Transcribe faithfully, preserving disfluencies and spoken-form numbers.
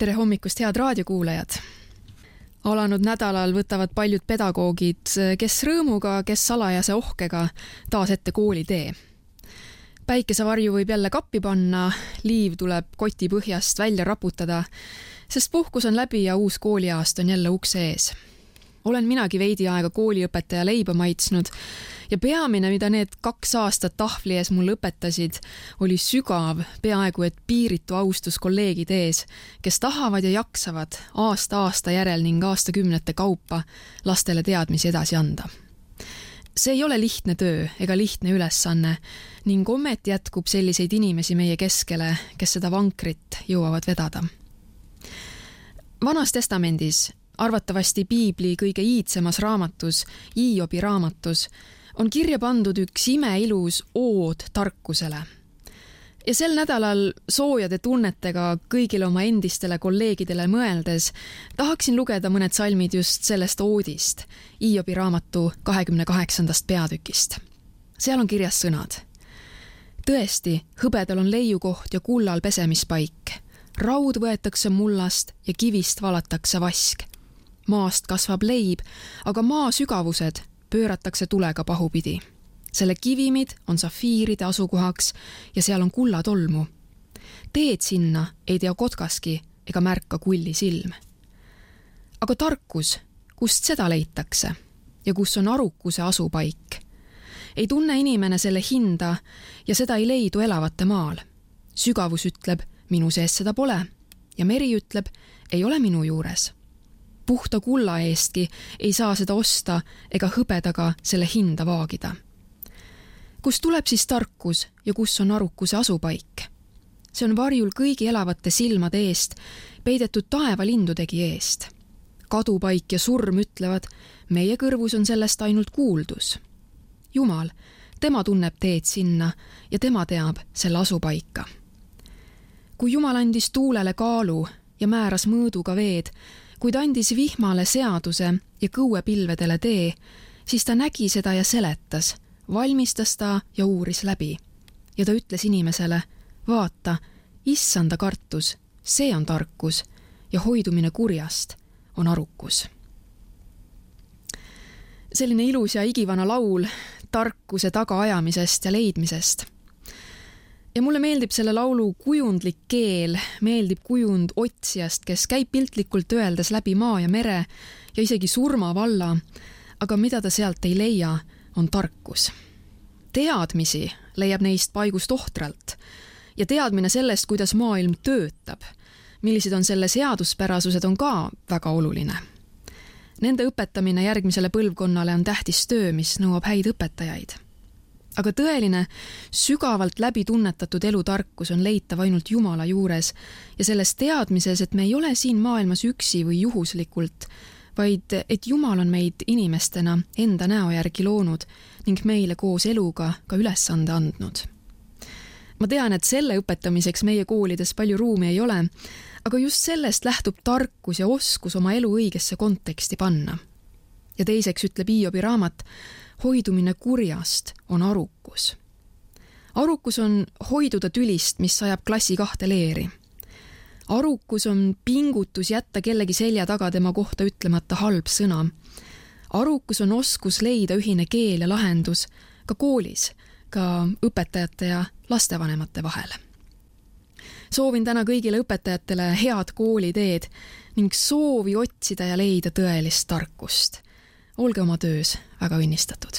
Tere hommikust, head raadiokuulajad! Alanud nädalal võtavad paljud pedagoogid, kes rõõmuga, kes salajase ohkega taas ette koolitee. Päikesevarju võib jälle kappi panna, liiv tuleb koti põhjast välja raputada, sest puhkus on läbi ja uus kooliaast on jälle ukse ees. Olen minagi veidi aega kooliõpetaja leiba maitsnud ja peamine, mida need kaks aastat tahvli ees mul õpetasid, oli sügav, peaaegu et piiritu austus kolleegide ees, kes tahavad ja jaksavad aasta-aasta järel ning aastakümnete kaupa lastele teadmisi edasi anda. See ei ole lihtne töö ega lihtne ülesanne ning ometi jätkub selliseid inimesi meie keskele, kes seda vankrit jõuavad vedada. Vanas testamendis, arvatavasti Piibli kõige iidsemas raamatus, Hiobi raamatus, on kirja pandud üks imeilus ood tarkusele. Ja sel nädalal soojade tunnetega kõigile oma endistele kolleegidele mõeldes tahaksin lugeda mõned salmid just sellest oodist, Hiobi raamatu kahekümne kaheksandast peatükist. Seal on kirjas sõnad. Tõesti, hõbedal on leiukoht ja kullal pesemispaik. Raud võetakse mullast ja kivist valatakse vask. Maast kasvab leib, aga maa sügavused pööratakse tulega pahupidi. Selle kivimid on safiiride asukohaks ja seal on kullatolmu. Teed sinna ei tea kotkaski ega märka kulli silm. Aga tarkus, kust seda leitakse ja kus on arukuse asupaik? Ei tunne inimene selle hinda ja seda ei leidu elavate maal. Sügavus ütleb, minu sees seda pole ja meri ütleb, ei ole minu juures. Puhta kulla eestki ei saa seda osta ega hõbedaga selle hinda vaagida. Kus tuleb siis tarkus ja kus on arukuse asupaik? See on varjul kõigi elavate silmade eest, peidetud taevalindudegi eest. Kadupaik ja surm ütlevad, meie kõrvus on sellest ainult kuuldus. Jumal, tema tunneb teed sinna ja tema teab selle asupaika. Kui Jumal andis tuulele kaalu ja määras mõõduga veed, kui ta andis vihmale seaduse ja kõuepilvedele tee, siis ta nägi seda ja seletas, valmistas ta ja uuris läbi. Ja ta ütles inimesele, vaata, issanda kartus, see on tarkus ja hoidumine kurjast on arukus. Selline ilus ja igivana laul tarkuse tagaajamisest ja leidmisest. Ja mulle meeldib selle laulu kujundlik keel, meeldib kujund otsijast, kes käib piltlikult öeldes läbi maa ja mere ja isegi surma valla, aga mida ta sealt ei leia, on tarkus. Teadmisi leiab neist paigust ohtralt ja teadmine sellest, kuidas maailm töötab, millised on selle seaduspärasused, on ka väga oluline. Nende õpetamine järgmisele põlvkonnale on tähtis töö, mis nõuab häid õpetajaid. Aga tõeline, sügavalt läbi tunnetatud elutarkus on leitav ainult Jumala juures ja selles teadmises, et me ei ole siin maailmas üksi või juhuslikult, vaid et Jumal on meid inimestena enda näo järgi loonud ning meile koos eluga ka ülesande andnud. Ma tean, et selle õpetamiseks meie koolides palju ruumi ei ole, aga just sellest lähtub tarkus ja oskus oma elu õigesse konteksti panna. Ja teiseks ütleb Hiobi raamat, hoidumine kurjast on arukus. Arukus on hoiduda tülist, mis sajab klassi kahte leeri. Arukus on pingutus jätta kellegi selja taga tema kohta ütlemata halb sõna. Arukus on oskus leida ühine keel ja lahendus ka koolis, ka õpetajate ja lastevanemate vahel. Soovin täna kõigile õpetajatele head kooliteed ning soovi otsida ja leida tõelist tarkust. Olge oma töös väga õnnistatud.